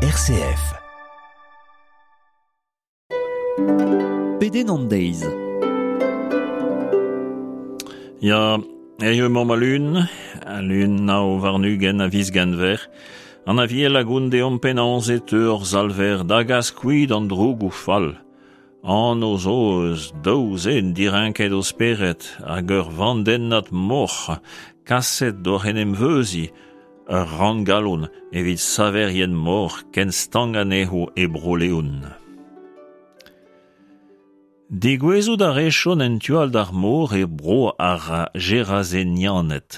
RCF. Pedenn an deiz. Ya, hiziv emaomp al lun, al lun 29 a viz Genver. An Aviel a gont deomp penaos e teu hor Salver da gas kuit an drougoù fall. Anv zo eus daou zen direnket o spered hag ur vandennad moc'h kaset d'oc'h en em veuziñ, ur ranngalon evit saverien moc'h ken stank anezho e Bro-Leon. Degouezhout a rejont en tu all d'ar mor e bro ar Gerazenianed.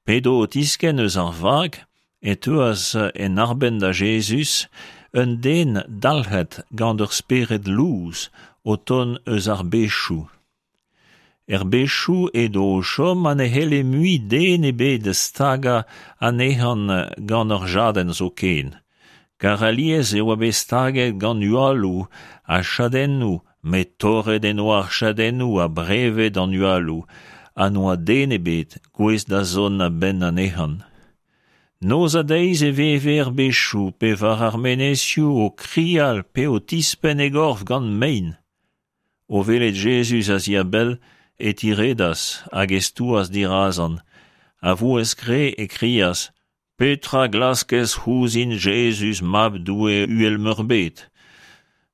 P'edo o tiskenn eus ar vag e teuas en arbenn da Jezuz un den dalc'het gant ur spered lous o tont eus ar bezioù. Er bezioù edo o chom ha ne c'helle mui den ebet stagañ anezhañ gant ur jadenn zoken, kar alies e oa bet staget gant hualoù ha chadennoù met torret en doa ar chadennoù ha brevet an hualoù ha n'oa den ebet gouest da zont a-benn anezhañ. Noz ha deiz e veve er bezioù pe war ar menezioù o krial pe o tispenn e gorf gant mein. O welet Jezuz a-ziabell e tiredas hag e stouas dirazan. A vouezh kreñv e krias Petra 'glaskez ouzhin Jezuz Mab Doue uhel-meurbet?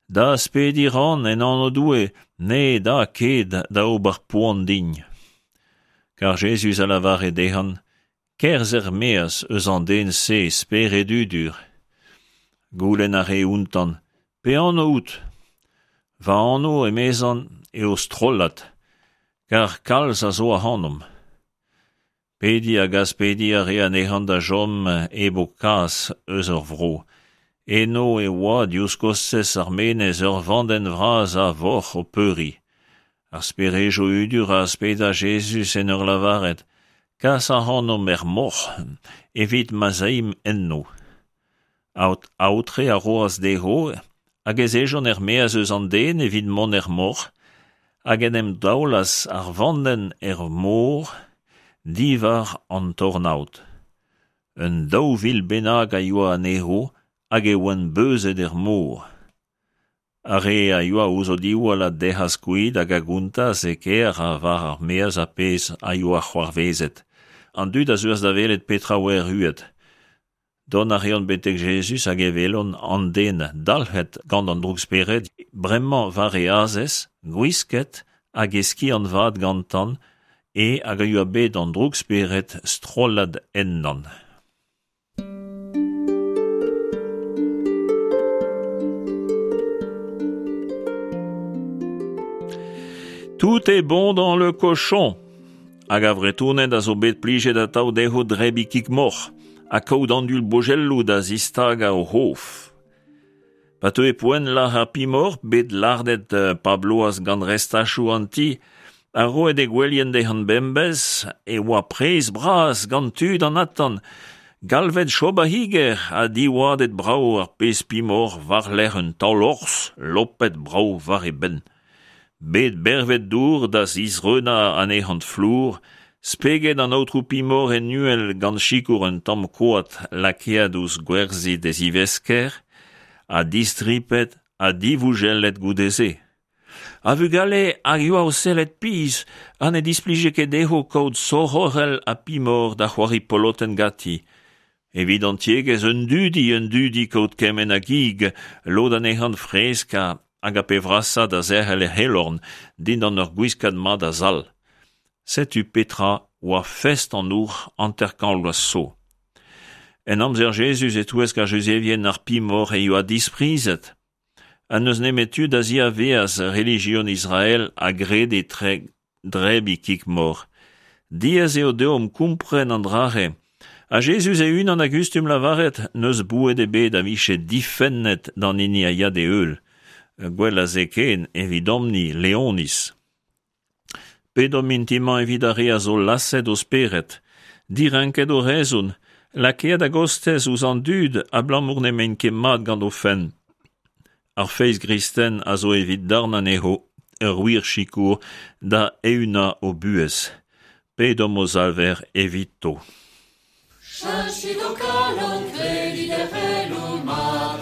Da aspediñ 'ran en anv Doue, ne da ket da ober poan din. Kar Jezuz a lavare dezhañ, Kerzh er-maez eus an den-se, spered hudur. Goulenn a rae outañ, Pe anv out? Va anv, emezañ, eo Strollad, kar kalz a zo ac'hanomp. Pediñ hag aspediñ a rae anezhañ da chom hep ho kas eus ur vro. Eno e oa diouzh kostez ar menez ur vandenn vras a voc'h o peuriñ. Ar sperejoù hudur a aspedas Jezuz en ur lavaret Kas ac'hanomp er moc'h evit ma'z aimp enno. Aotre a roas dezho hag ez ejont er-maez eus an den evit mont er moc'h hag en em daolas ar vandenn er mor diwar an tornaod. Un 2000 bennak a yoa anezho hag e oant beuzet er mor. Ar re a yoa ouzh o diwall a dec'has kuit hag a gontas e kêr ha war ar maez ar pezh a yoa c'hoarvezet. An dud a zeuas da welet petra oa erruet. Dont a reont betek Jezuz hag e welont an den dalc'het gant an droukspered bremañ war e azez, gwisket hag e skiant vat gantañ, e hag a yoa bet an droukspered strollad ennañ. Tout est bon dans le cochon. Hag ar Vretoned a zo bet plijet atav dezho drebiñ kig-moc'h ha kaout an-dul bojelloù da zistagañ o c'hof. Pa teue poent lazhañ pimoc'h bet lardet pa bloaz gant restachoù an ti ha roet e gwelien dezhañ bemdez e oa prez bras gant tud an atant, galvet Job ar c'higer ha diwadet brav ar pezh pimoc'h war-lerc'h un taol horzh lopet brav war e benn. Bet bervet dour da zisreunañ anezhañ flour, speget an aotrou Pimor en uhel gant sikour un tamm koad lakaet ouzh gwerzhid e zivesker, ha distripet ha divougellet goude-se. Ar vugale a yoa o sellet pizh ha ne displije ket dezho kaout soroc'hell ha Pimor da c'hoari polotenn ganti. Evit an tiegezh un dudi, un dudi kaout kement a gig, lod anezhañ fresk hag ar pe vrasañ da zerc'hel er c'helorn dindan ur gwiskad mat a sal. Setu petra oa fest an houc'h 50 vloaz zo. En amzer Jezuz e-touesk ar Juzevien ar pimoc'h e yoa disprizet. Ha n'eus nemet tud a-ziavaez relijion Israel a grede drebiñ kig-moc'h. Diaes eo deomp kompren an dra-se. Ha Jezuz e-unan a gustum lavaret n'eus boued ebet a vije difennet d'an hini a ya d'e heul. Gwell a se ken evidomp-ni Leoniz. Pedomp mintin-mañ evit ar re a zo laset o spered, direnket o rezon, lakaet a-gostez ouzh an dud abalamour n'emaint ket mat gant o fenn. Ar feiz gristen a zo evit darn anezho ur wir sikour da eeunañ o buhez. Pedomp o Salver evito. Cheñchit ho kalon, kredit er c'heloù mat.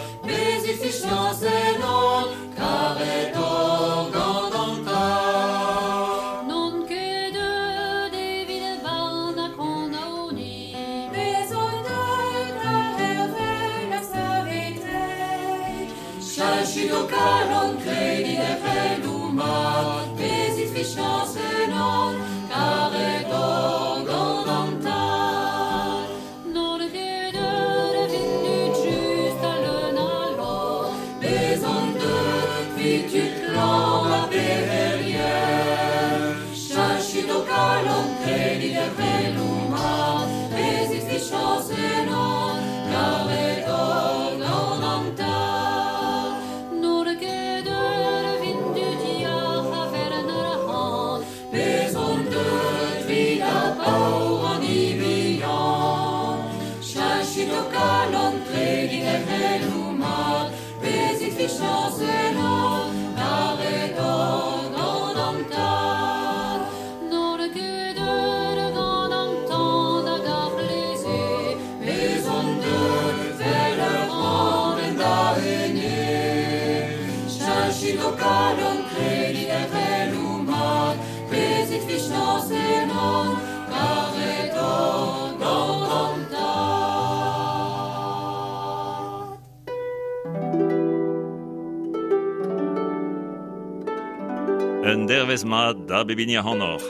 Cheñchit ho kalon, kredit er c'heloù mat, bezit fichañs ennon, karet oc'h gant an Tad. N'on ket deuet evit tud just ha leun a lorc'h, bez on deuet 'vit tud klañv ha pec'herien. Cheñchit ho kalon, kredit er c'heloù mat, bezit fichañs ennon, karet oc'h gant an Tad. N'on ket deuet evit tud yac'h a vern arc'hant, bez on deuet 'vit ar paour an hini bihan. Cheñchit ho kalon, kredit er c'heloù mat, bezit fichañs ennon, karet oc'h gant an Tad. N'on ket deuet gant an tan hag ar c'hleze, bez on deuet 'vel ur ran en da ene. Cheñchit ho kalon, kredit er c'heloù mat, bezit fichañs ennon, karet oc'h gant an Tad. Un dervezh mat da bep hini ac'hanoc'h.